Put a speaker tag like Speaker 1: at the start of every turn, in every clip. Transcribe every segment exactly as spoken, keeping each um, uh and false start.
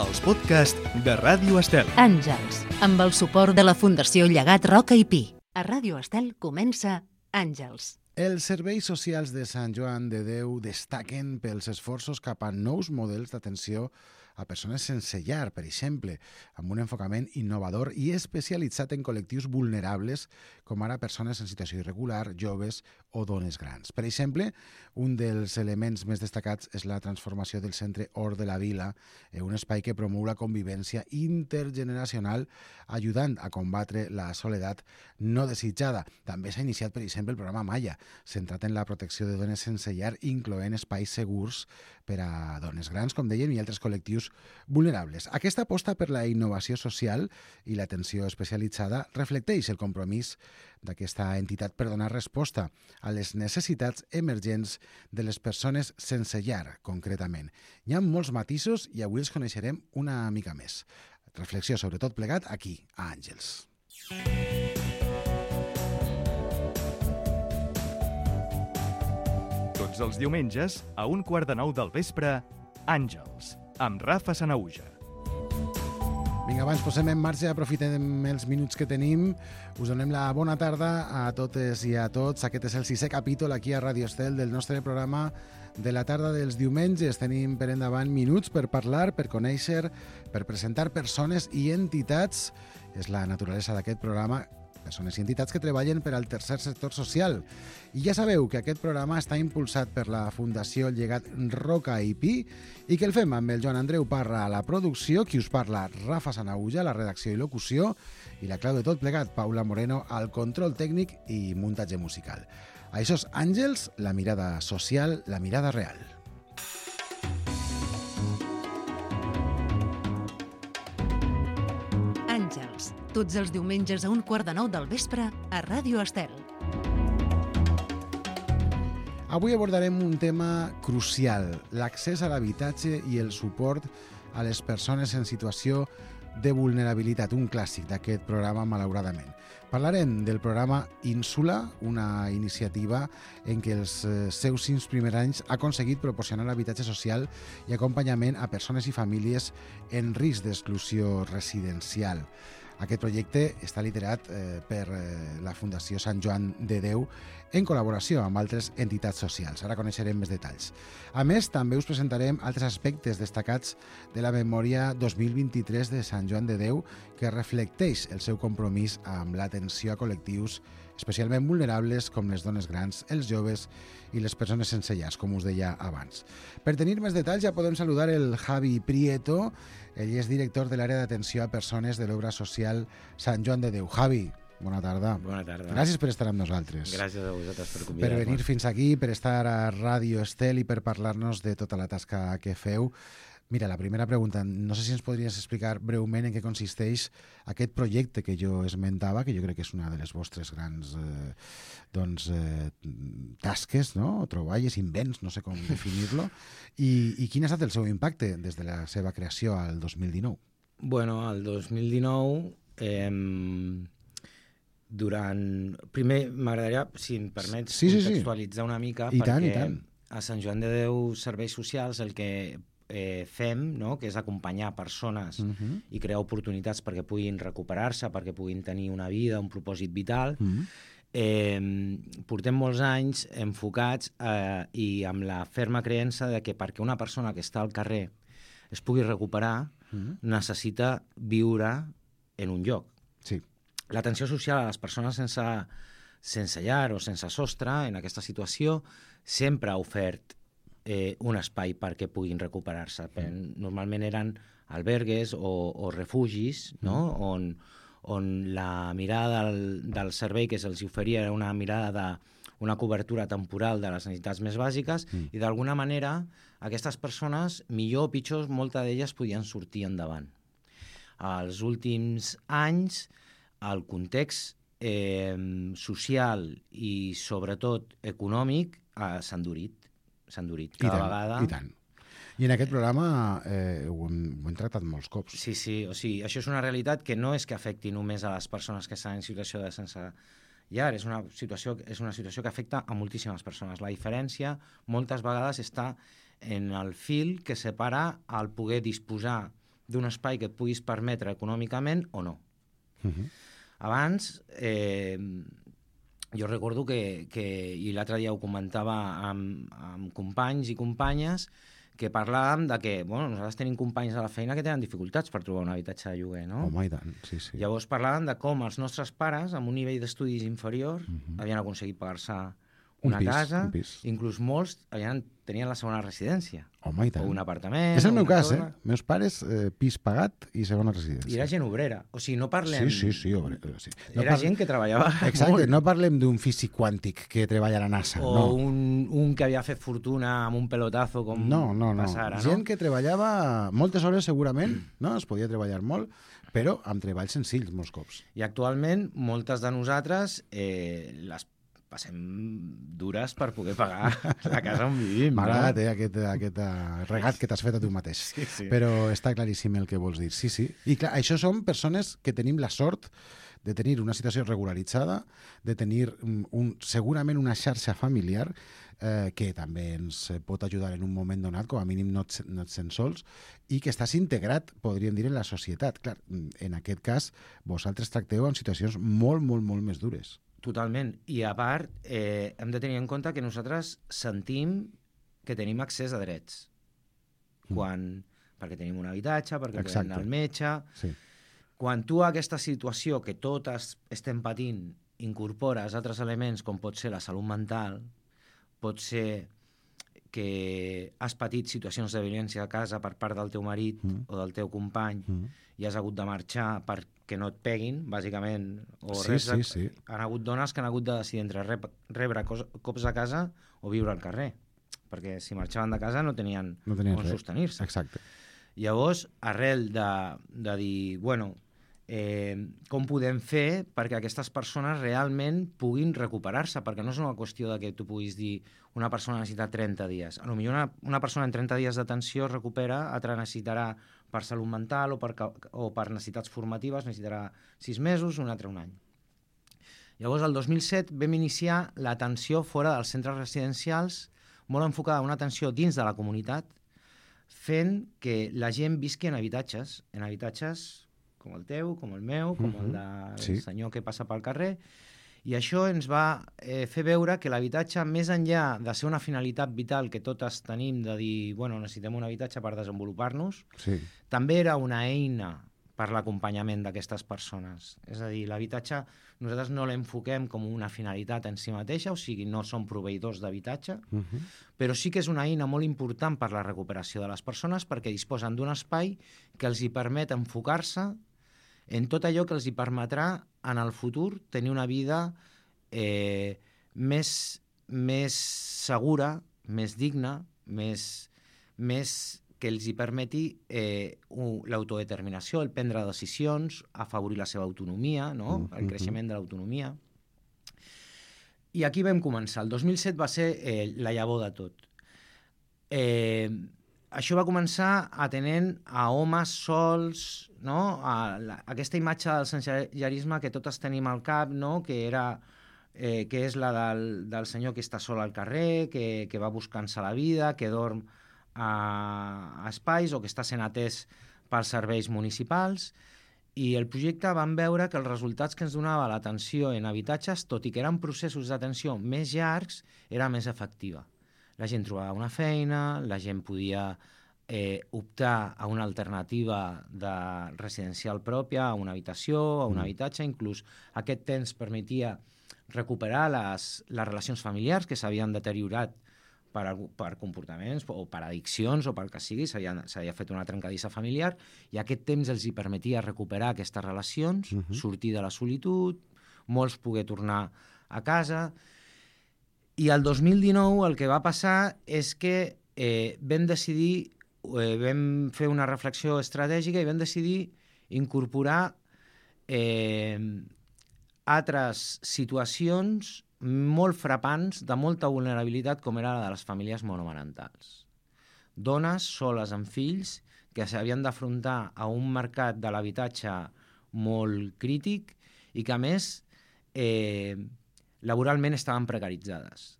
Speaker 1: els podcasts de Ràdio Estel.
Speaker 2: Àngels, amb el suport de la Fundació Llegat Roca i Pi. A Ràdio Estel comença Àngels.
Speaker 3: Els serveis socials de Sant Joan de Déu destaquen pels esforços cap a nous models d'atenció a persones sense llar, per exemple, amb un enfocament innovador i especialitzat en col·lectius vulnerables, com ara persones en situació irregular, joves o dones grans. Per exemple, un dels elements més destacats és la transformació del centre Hort de la Vila, un espai que promou la convivència intergeneracional, ajudant a combatre la soledat no desitjada. També s'ha iniciat, per exemple, el programa Maya, centrat en la protecció de dones sense llar, incloent espais segurs per a dones grans, com dèiem, i altres col·lectius vulnerables. Aquesta aposta per la innovació social i l'atenció especialitzada reflecteix el compromís d'aquesta entitat per donar resposta a les necessitats emergents de les persones sense llar, concretament. Hi ha molts matisos i avui els coneixerem una mica més. Reflexió sobre tot plegat aquí, a Àngels.
Speaker 1: Tots els diumenges, a un quart de nou del vespre, Àngels, amb Rafa Sanauja.
Speaker 3: Vinga, abans posem en marxa, aprofitem els minuts que tenim. Us donem la bona tarda a totes i a tots. Aquest és el sisè capítol aquí a Ràdio Estel del nostre programa de la tarda dels diumenges. Tenim per endavant minuts per parlar, per conèixer, per presentar persones i entitats. És la naturalesa d'aquest programa, persones i entitats que treballen per al tercer sector social. I ja sabeu que aquest programa està impulsat per la Fundació Llegat Roca i Pi i que el fem amb el Joan Andreu Parra a la producció, qui us parla Rafa Sanauja, la redacció i locució, i la clau de tot plegat, Paula Moreno, al control tècnic i muntatge musical. Això és Àngels, la mirada social, la mirada real.
Speaker 2: Àngels, tots els diumenges a un quart de nou del vespre a Ràdio Estel.
Speaker 3: Avui abordarem un tema crucial, l'accés a l'habitatge i el suport a les persones en situació de vulnerabilitat, un clàssic d'aquest programa, malauradament. Parlarem del programa Ínsula, una iniciativa en què els seus cinc primers anys ha aconseguit proporcionar habitatge social i acompanyament a persones i famílies en risc d'exclusió residencial. Aquest projecte està liderat eh, per eh, la Fundació Sant Joan de Déu en col·laboració amb altres entitats socials. Ara coneixerem més detalls. A més, també us presentarem altres aspectes destacats de la memòria dos mil vint-i-tres de Sant Joan de Déu que reflecteix el seu compromís amb l'atenció a col·lectius especialment vulnerables com les dones grans, els joves i les persones sense llars, com us deia abans. Per tenir més detalls ja podem saludar el Javi Prieto. Ell és director de l'àrea d'atenció a persones de l'obra social Sant Joan de Déu. Javi, bona tarda.
Speaker 4: Bona tarda.
Speaker 3: Gràcies per estar amb nosaltres.
Speaker 4: Gràcies a vosaltres per convidar-me.
Speaker 3: Per venir fins aquí, per estar a Ràdio Estel i per parlar-nos de tota la tasca que feu. Mira, la primera pregunta, no sé si ens podries explicar breument en què consisteix aquest projecte que jo esmentava, que jo crec que és una de les vostres grans eh, doncs, eh, tasques, no? Troballes, invents, no sé com definir-lo, i, i quin ha estat el seu impacte des de la seva creació al dos mil dinou?
Speaker 4: Bueno, al dos mil dinou, eh, durant... Primer, m'agradaria, si em permets,
Speaker 3: sí, sí,
Speaker 4: contextualitzar
Speaker 3: sí.
Speaker 4: una mica,
Speaker 3: I
Speaker 4: perquè
Speaker 3: tant, i tant.
Speaker 4: A Sant Joan de Déu Serveis Socials el que eh, fem, no?, que és acompanyar persones uh-huh. i crear oportunitats perquè puguin recuperar-se, perquè puguin tenir una vida, un propòsit vital. Uh-huh. Eh, portem molts anys enfocats eh, i amb la ferma creença de que perquè una persona que està al carrer es pugui recuperar, uh-huh. necessita viure en un lloc.
Speaker 3: Sí.
Speaker 4: L'atenció social a les persones sense, sense llar o sense sostre en aquesta situació sempre ha ofert eh, un espai perquè puguin recuperar-se. Mm. Normalment eren albergues o, o refugis, no? Mm. on, on la mirada del, del servei que se'ls oferia era una mirada de una cobertura temporal de les necessitats més bàsiques mm. i d'alguna manera aquestes persones, millor o pitjor, moltes d'elles podien sortir endavant. Als últims anys el context eh, social i sobretot econòmic eh, s'ha endurit. s'ha endurit cada
Speaker 3: I tant,
Speaker 4: vegada.
Speaker 3: I tant. I en aquest programa eh, ho, hem, ho hem tractat molts cops.
Speaker 4: Sí, sí, o sigui, això és una realitat que no és que afecti només a les persones que estan en situació de sense llar, és una situació, és una situació que afecta a moltíssimes persones. La diferència moltes vegades està en el fil que separa el poder disposar d'un espai que et puguis permetre econòmicament o no.
Speaker 3: Uh-huh.
Speaker 4: Abans, eh, jo recordo que, que i l'altre dia ho comentava amb, amb companys i companyes, que parlàvem de que, bueno, nosaltres tenim companys a la feina que tenen dificultats per trobar un habitatge de lloguer, no?
Speaker 3: Home, i tant, sí, sí.
Speaker 4: Llavors parlàvem de com els nostres pares, amb un nivell d'estudis inferior,
Speaker 3: Uh-huh.
Speaker 4: havien aconseguit pagar-se
Speaker 3: Un
Speaker 4: una
Speaker 3: pis,
Speaker 4: casa,
Speaker 3: un pis.
Speaker 4: inclús molts havien, tenien la segona residència,
Speaker 3: Home, i tant.
Speaker 4: o un apartament...
Speaker 3: És el
Speaker 4: o
Speaker 3: meu
Speaker 4: una
Speaker 3: cas,
Speaker 4: torre.
Speaker 3: eh? Meus pares, eh, pis pagat i segona residència.
Speaker 4: I era gent obrera. O sigui, no parlem...
Speaker 3: Sí, sí, sí. Obre, sí. No
Speaker 4: Era
Speaker 3: par-
Speaker 4: gent que treballava
Speaker 3: Exacte,
Speaker 4: molt.
Speaker 3: no parlem d'un físic quàntic que treballa a la NASA.
Speaker 4: O
Speaker 3: no.
Speaker 4: un, un que havia fet fortuna amb un pelotazo com
Speaker 3: No, no, no.
Speaker 4: passa ara,
Speaker 3: Gent
Speaker 4: no?
Speaker 3: que treballava moltes hores segurament, no? Es podia treballar molt, però amb treballs senzills molts cops.
Speaker 4: I actualment, moltes de nosaltres eh, les passem dures per poder pagar la casa on vivim.
Speaker 3: M'ha
Speaker 4: no?
Speaker 3: agradat, eh, aquest, aquest eh, regat que t'has fet a tu mateix.
Speaker 4: Sí, sí.
Speaker 3: Però està claríssim el que vols dir. Sí, sí. I clar, això són persones que tenim la sort de tenir una situació regularitzada, de tenir un, un, segurament una xarxa familiar eh, que també ens pot ajudar en un moment donat, com a mínim no et, no et sents sols, i que estàs integrat, podríem dir, en la societat. Clar, en aquest cas, vosaltres tracteu en situacions molt, molt, molt més dures.
Speaker 4: Totalment. I a part, eh, hem de tenir en compte que nosaltres sentim que tenim accés a drets. Quan, perquè tenim un habitatge, perquè podem
Speaker 3: Exacte.
Speaker 4: anar al metge...
Speaker 3: Sí.
Speaker 4: Quan tu a aquesta situació que totes estem patint incorpores altres elements com pot ser la salut mental, pot ser que has patit situacions de violència a casa per part del teu marit
Speaker 3: Mm.
Speaker 4: o del teu company
Speaker 3: Mm.
Speaker 4: i has hagut de marxar perquè no et peguin, bàsicament. O
Speaker 3: Sí,
Speaker 4: res de...
Speaker 3: sí, sí.
Speaker 4: Han hagut dones que han hagut de decidir entre rep rebre cos cops a casa o viure al carrer, perquè si marxaven de casa no tenien,
Speaker 3: No tenien
Speaker 4: on
Speaker 3: res.
Speaker 4: sostenir-se.
Speaker 3: Exacte.
Speaker 4: Llavors, arrel de, de dir, bueno, eh, com podem fer perquè aquestes persones realment puguin recuperar-se, perquè no és una qüestió de que tu puguis dir una persona necessita trenta dies. A lo millor una, una persona en trenta dies d'atenció es recupera, altra necessitarà per salut mental o per, o per necessitats formatives, necessitarà sis mesos, un altre un any. Llavors, el dos mil set vam iniciar l'atenció fora dels centres residencials, molt enfocada a una atenció dins de la comunitat, fent que la gent visqui en habitatges, en habitatges com el teu, com el meu, com el del
Speaker 3: Sí.
Speaker 4: senyor que passa pel carrer, i això ens va eh, fer veure que l'habitatge, més enllà de ser una finalitat vital que totes tenim, de dir, bueno, necessitem un habitatge per desenvolupar-nos,
Speaker 3: Sí.
Speaker 4: també era una eina per l'acompanyament d'aquestes persones. És a dir, l'habitatge nosaltres no l'enfoquem com una finalitat en si mateixa, o sigui, no som proveïdors d'habitatge,
Speaker 3: Uh -huh.
Speaker 4: però sí que és una eina molt important per la recuperació de les persones perquè disposen d'un espai que els hi permet enfocar-se en tot allò que els hi permetrà en el futur tenir una vida eh, més, més segura, més digna, més, més que els hi permeti eh, l'autodeterminació, el prendre decisions, afavorir la seva autonomia, no?
Speaker 3: Mm-hmm.
Speaker 4: El creixement de l'autonomia. I aquí vam començar. El dos mil set va ser eh, la llavor de tot. Eh, això va començar atenent a homes sols, no? A la, aquesta imatge del sensellarisme que totes tenim al cap, no? Que era eh, que és la del, del senyor que està sol al carrer, que, que va buscant-se la vida, que dorm a, a espais o que està sent atès pels serveis municipals. I el projecte vam veure que els resultats que ens donava l'atenció en habitatges, tot i que eren processos d'atenció més llargs, era més efectiva. La gent trobava una feina, la gent podia eh, optar a una alternativa de residencial pròpia, a una habitació, a un mm. habitatge, inclús aquest temps permetia recuperar les, les relacions familiars que s'havien deteriorat per, per comportaments o per addiccions o pel que sigui, s'havia fet una trencadissa familiar i aquest temps els hi permetia recuperar aquestes relacions, uh -huh. sortir de la solitud, molts poder tornar a casa. I el dos mil dinou el que va passar és que eh, vam decidir, eh, vam fer una reflexió estratègica i vam decidir incorporar eh, altres situacions molt frapants, de molta vulnerabilitat, com era la de les famílies monomarentals. Dones soles amb fills que s'havien d'afrontar a un mercat de l'habitatge molt crític i que, a més, eh, laboralment estaven precaritzades.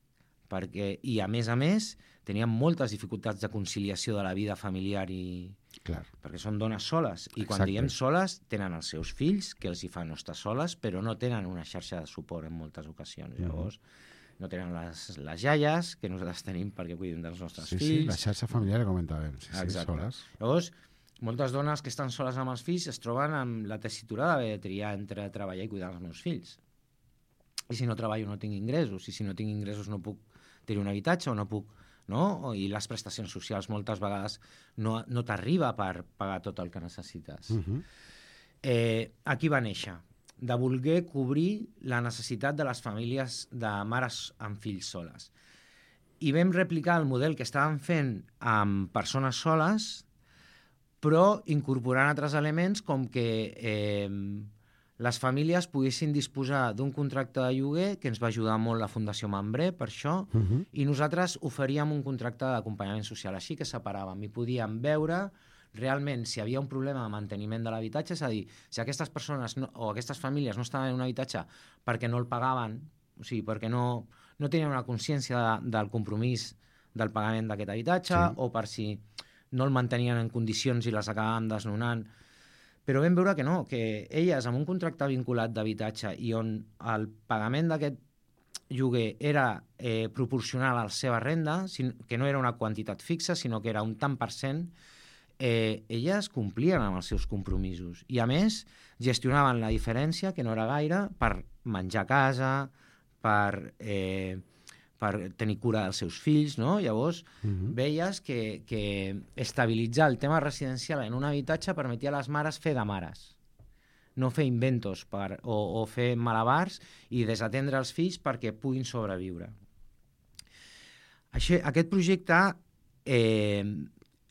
Speaker 4: Perquè, i, a més a més, tenien moltes dificultats de conciliació de la vida familiar i,
Speaker 3: Clar.
Speaker 4: Perquè són dones soles, i quan
Speaker 3: Exacte.
Speaker 4: diem soles tenen els seus fills, que els hi fan no estar soles, però no tenen una xarxa de suport en moltes ocasions.
Speaker 3: Mhm.
Speaker 4: Llavors, no tenen les, les iaies, que nosaltres tenim perquè cuidem dels nostres
Speaker 3: Sí, sí,
Speaker 4: fills.
Speaker 3: la xarxa familiar que comentàvem. Sí, sí,
Speaker 4: Exacte.
Speaker 3: soles.
Speaker 4: Llavors, moltes dones que estan soles amb els fills es troben amb la tessitura d'haver de triar entre treballar i cuidar els meus fills. I si no treballo no tinc ingressos, i si no tinc ingressos no puc tenir un habitatge o no puc... No? I les prestacions socials moltes vegades no, no t'arriba per pagar tot el que necessites.
Speaker 3: Uh -huh.
Speaker 4: eh, aquí va néixer, de voler cobrir la necessitat de les famílies de mares amb fills soles. I vam replicar el model que estàvem fent amb persones soles, però incorporant altres elements com que eh, les famílies poguessin disposar d'un contracte de lloguer, que ens va ajudar molt la Fundació Mambré per això,
Speaker 3: Uh -huh.
Speaker 4: i nosaltres oferíem un contracte d'acompanyament social, així que separàvem i podíem veure realment si hi havia un problema de manteniment de l'habitatge, és a dir, si aquestes persones no, o aquestes famílies no estaven en un habitatge perquè no el pagaven, o sigui, perquè no, no tenien una consciència de, del compromís del pagament d'aquest habitatge,
Speaker 3: Sí.
Speaker 4: o per si no el mantenien en condicions i les acabàvem desnonant. Però vam veure que no, que elles amb un contracte vinculat d'habitatge i on el pagament d'aquest lloguer era eh, proporcional a la seva renda, que no era una quantitat fixa, sinó que era un tant per cent, eh, elles complien amb els seus compromisos. I a més, gestionaven la diferència, que no era gaire, per menjar a casa, per... Eh, per tenir cura dels seus fills, no? Llavors,
Speaker 3: Uh -huh.
Speaker 4: veies que, que estabilitzar el tema residencial en un habitatge permetia a les mares fer de mares, no fer inventos per, o, o fer malabars i desatendre els fills perquè puguin sobreviure. Així, aquest projecte, eh,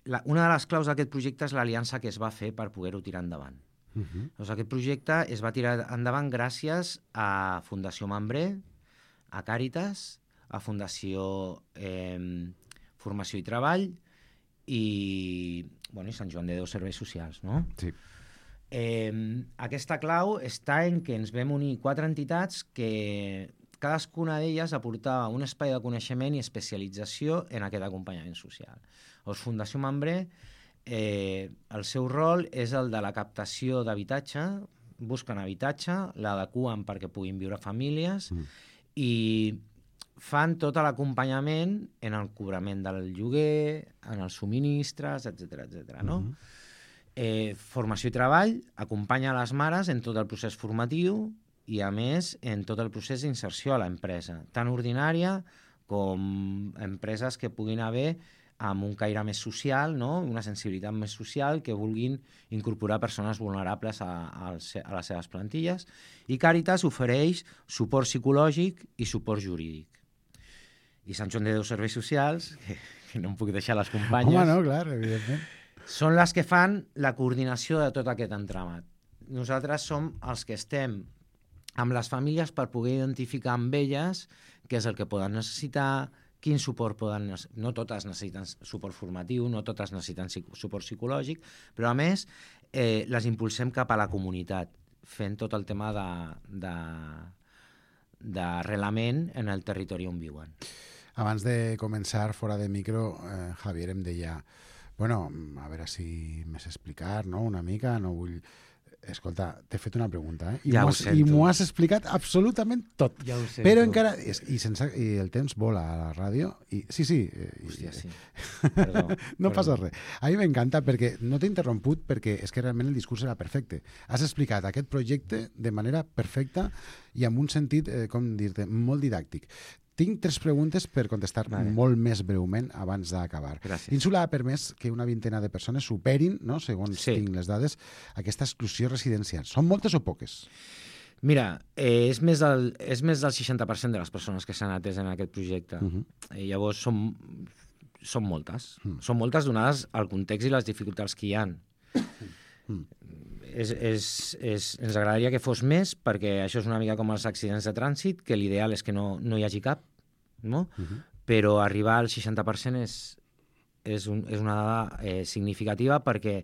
Speaker 4: la, una de les claus d'aquest projecte és l'aliança que es va fer per poder-ho tirar endavant.
Speaker 3: Uh -huh.
Speaker 4: Doncs aquest projecte es va tirar endavant gràcies a Fundació Mambré, a Càritas, a Fundació eh, Formació i Treball i, bueno, i Sant Joan de Déu Serveis Socials, no?
Speaker 3: Sí.
Speaker 4: Eh, aquesta clau està en que ens vam unir quatre entitats que cadascuna d'elles aportava un espai de coneixement i especialització en aquest acompanyament social. Doncs Fundació Mambré, eh, el seu rol és el de la captació d'habitatge, busquen habitatge, l'adequen perquè puguin viure famílies
Speaker 3: Mm.
Speaker 4: i fan tot l'acompanyament en el cobrament del lloguer, en els subministres, etcètera, etcètera, no?
Speaker 3: Uh-huh.
Speaker 4: eh, formació i treball, acompanya les mares en tot el procés formatiu i, a més, en tot el procés d'inserció a l'empresa, tant ordinària com empreses que puguin haver amb un caire més social, no? Una sensibilitat més social, que vulguin incorporar persones vulnerables a, a, a les seves plantilles. I Càritas ofereix suport psicològic i suport jurídic. I Sant Joan de Déu Serveis Socials, que, que no em puc deixar les companyes,
Speaker 3: Home, no, clar, evidentment.
Speaker 4: són les que fan la coordinació de tot aquest entramat. Nosaltres som els que estem amb les famílies per poder identificar amb elles què és el que poden necessitar, quin suport poden necessitar. No totes necessiten suport formatiu, no totes necessiten suport psicològic, però a més eh, les impulsem cap a la comunitat, fent tot el tema de, de, d'arrelament en el territori on viuen.
Speaker 3: Abans de començar, fora de micro, eh, Javier em deia, bueno, a veure si m'has explicat, no?, una mica, no vull... Escolta, t'he fet una pregunta, eh? I
Speaker 4: Ja
Speaker 3: m'ho
Speaker 4: ho
Speaker 3: has,
Speaker 4: sento.
Speaker 3: i m'ho has explicat absolutament tot.
Speaker 4: Ja ho sento.
Speaker 3: Però encara... I, i, sense, I el temps vola a la ràdio. I, sí, sí. eh,
Speaker 4: Hòstia,
Speaker 3: i,
Speaker 4: sí. Perdó.
Speaker 3: No
Speaker 4: perdó.
Speaker 3: passa res. A mi m'encanta perquè no t'he interromput perquè és que realment el discurs era perfecte. Has explicat aquest projecte de manera perfecta i amb un sentit, eh, com dir-te, molt didàctic. Tinc tres preguntes per contestar
Speaker 4: Vale.
Speaker 3: molt més breument abans d'acabar.
Speaker 4: Gràcies.
Speaker 3: L'Ínsula ha permès que una vintena de persones superin, no, segons
Speaker 4: Sí.
Speaker 3: tinc les dades, aquesta exclusió residencial. Són moltes o poques?
Speaker 4: Mira, eh, és, més del, és més del seixanta per cent de les persones que s'han atès en aquest projecte.
Speaker 3: Uh -huh.
Speaker 4: I llavors són, són moltes.
Speaker 3: Mm.
Speaker 4: Són moltes donades al context i les dificultats que hi ha.
Speaker 3: Mm.
Speaker 4: És, és, és, ens agradaria que fos més, perquè això és una mica com els accidents de trànsit, que l'ideal és que no, no hi hagi cap, no?
Speaker 3: Uh -huh.
Speaker 4: Però arribar al seixanta per cent és, és, un, és una dada eh, significativa perquè,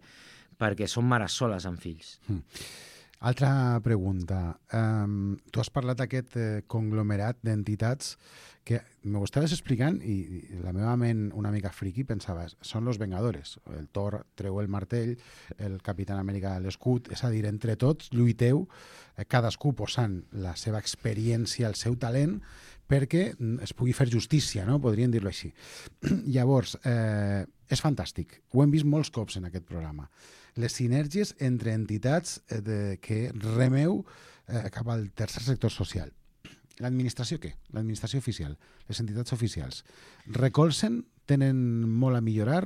Speaker 4: perquè són mares soles amb fills.
Speaker 3: Mm. Altra pregunta. Um, tu has parlat d'aquest eh, conglomerat d'entitats que m'ho estaves explicant i, i la meva ment una mica friqui pensava, són los Vengadores. El Thor treu el martell, el Capitán Amèrica l'escut, és a dir, entre tots lluiteu, eh, cadascú posant la seva experiència, el seu talent, perquè es pugui fer justícia, no? Podríem dir-ho així. Llavors, eh, és fantàstic. Ho hem vist molts cops en aquest programa. Les sinergies entre entitats eh, de, que remeu eh, cap al tercer sector social. L'administració què? L'administració oficial, les entitats oficials. Recolzen? Tenen molt a millorar?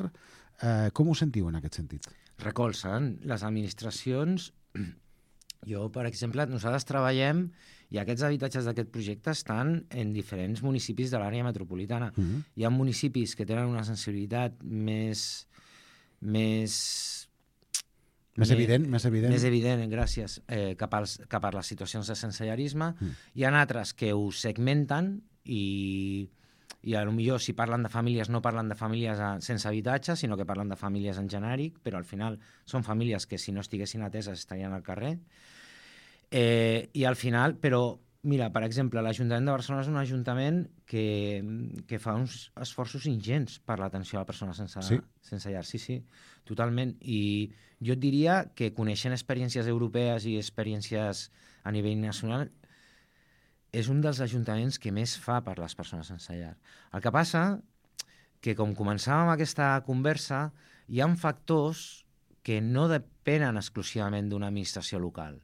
Speaker 3: Eh, com ho sentiu en aquest sentit?
Speaker 4: Recolzen. Les administracions... Jo, per exemple, nosaltres treballem i aquests habitatges d'aquest projecte estan en diferents municipis de l'àrea metropolitana. Mm-hmm. Hi ha municipis que tenen una sensibilitat més... més
Speaker 3: Més evident, més evident.
Speaker 4: Més evident, gràcies, eh, cap, als, cap a les situacions de sensellarisme. Mm. Hi ha altres que ho segmenten i, i potser si parlen de famílies no parlen de famílies sense habitatge, sinó que parlen de famílies en genèric, però al final són famílies que si no estiguessin ateses estarien al carrer. Eh, I al final, però, mira, per exemple, l'Ajuntament de Barcelona és un ajuntament que, que fa uns esforços ingents per l'atenció a la persona sense,
Speaker 3: sí?
Speaker 4: sense llar. Sí, sí, totalment. I jo et diria que coneixent experiències europees i experiències a nivell nacional és un dels ajuntaments que més fa per les persones sense llar. El que passa que, com començàvem aquesta conversa, hi ha factors que no depenen exclusivament d'una administració local,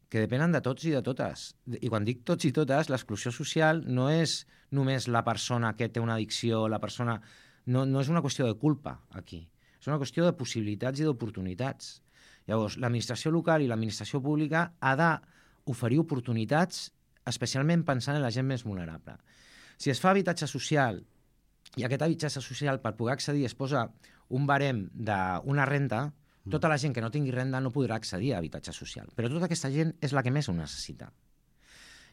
Speaker 4: que depenen de tots i de totes. I quan dic tots i totes, l'exclusió social no és només la persona que té una addicció, la persona... No, no és una qüestió de culpa, aquí. És una qüestió de possibilitats i d'oportunitats. Llavors, l'administració local i l'administració pública ha d'oferir oportunitats, especialment pensant en la gent més vulnerable. Si es fa habitatge social i aquest habitatge social per poder accedir es posa un barem d'una renta, tota la gent que no tingui renda no podrà accedir a habitatge social. Però tota aquesta gent és la que més ho necessita.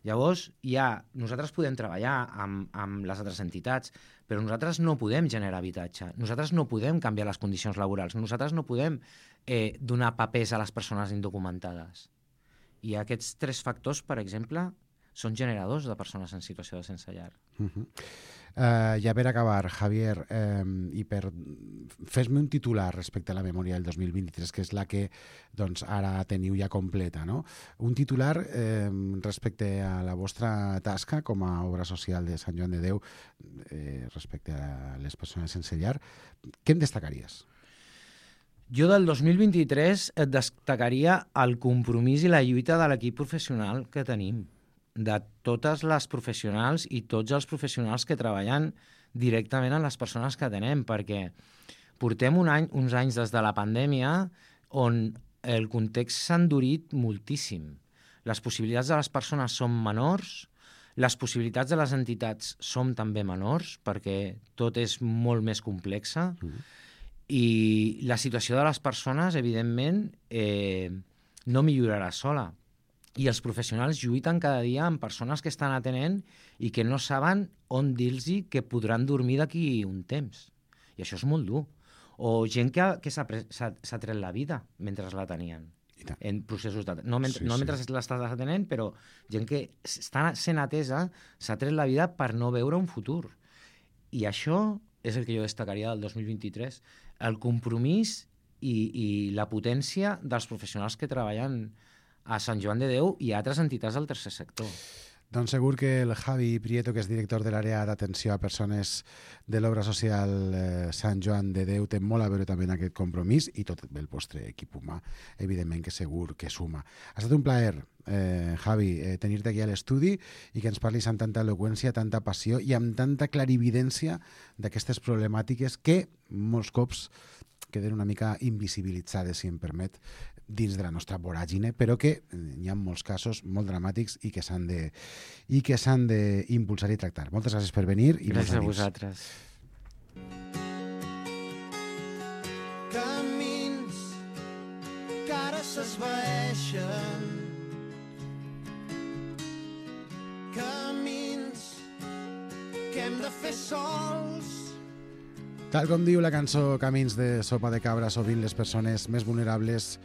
Speaker 4: Llavors, ja, nosaltres podem treballar amb, amb les altres entitats, però nosaltres no podem generar habitatge, nosaltres no podem canviar les condicions laborals, nosaltres no podem eh, donar papers a les persones indocumentades. I aquests tres factors, per exemple, són generadors de persones en situació de sense llar.
Speaker 3: Uh-huh. Uh, ja per acabar, Javier, eh, i per fes-me un titular respecte a la memòria del dos mil vint-i-tres, que és la que doncs, ara teniu ja completa, no? Un titular eh, respecte a la vostra tasca com a obra social de Sant Joan de Déu eh, respecte a les persones sense llar. Què em destacaries?
Speaker 4: Jo del dos mil vint-i-tres et destacaria el compromís i la lluita de l'equip professional que tenim, de totes les professionals i tots els professionals que treballen directament amb les persones que atenem, perquè portem un any, uns anys des de la pandèmia on el context s'ha endurit moltíssim. Les possibilitats de les persones són menors, les possibilitats de les entitats són també menors, perquè tot és molt més complexa, mm. i la situació de les persones, evidentment, eh, no millorarà sola. I els professionals lluiten cada dia amb persones que estan atenent i que no saben on dir-los que podran dormir d'aquí un temps. I això és molt dur. O gent que, que s'ha tret la vida mentre la tenien en processos de... No, mentre, sí, no mentre sí. l'estàs atenent, però gent que està sent atesa s'ha tret la vida per no veure un futur. I això és el que jo destacaria del dos mil vint-i-tres. El compromís i, i la potència dels professionals que treballen a Sant Joan de Déu i a altres entitats del tercer sector.
Speaker 3: Doncs segur que el Javi Prieto, que és director de l'àrea d'atenció a persones de l'obra social eh, Sant Joan de Déu, té molt a veure també en aquest compromís i tot el vostre equip humà, evidentment que segur que suma. Ha estat un plaer, eh, Javi, eh, tenir-te aquí a l'estudi i que ens parlis amb tanta eloqüència, tanta passió i amb tanta clarividència d'aquestes problemàtiques que molts cops queden una mica invisibilitzades, si em permet, dins de la nostra voràgine, però que hi ha molts casos molt dramàtics i que s'han de i que s'han d'impulsar i tractar. Moltes gràcies per venir i
Speaker 4: gràcies a vosaltres.
Speaker 5: Camins que ara s'esvaeixen, camins que hem de fer sols.
Speaker 3: Tal com diu la cançó Camins de Sopa de Cabra, sovint les persones més vulnerables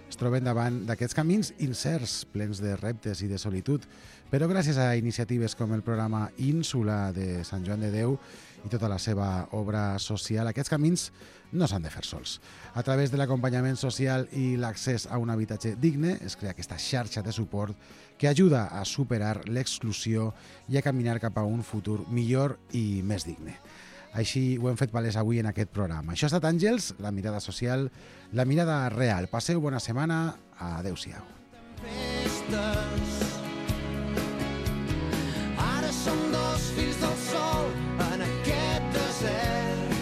Speaker 3: es troben davant d'aquests camins incerts, plens de reptes i de solitud, però gràcies a iniciatives com el programa Ínsula de Sant Joan de Déu i tota la seva obra social, aquests camins no s'han de fer sols. A través de l'acompanyament social i l'accés a un habitatge digne es crea aquesta xarxa de suport que ajuda a superar l'exclusió i a caminar cap a un futur millor i més digne. Així ho hem fet palès avui en aquest programa. Això ha estat Àngels, la mirada social, la mirada real. Passeu bona setmana. Adéu-siau.
Speaker 5: Ara som dos fills del sol en aquest desert.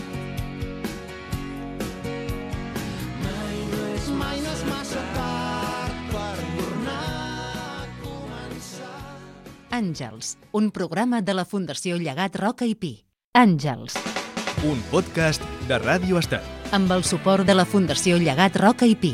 Speaker 5: Mai no és, mai no és massa tard per tornar a començar.
Speaker 2: Àngels, un programa de la Fundació Llegat Roca i Pi. Àngels,
Speaker 1: Un podcast de Ràdio Estel.
Speaker 2: amb el suport de la Fundació Llegat Roca i Pi.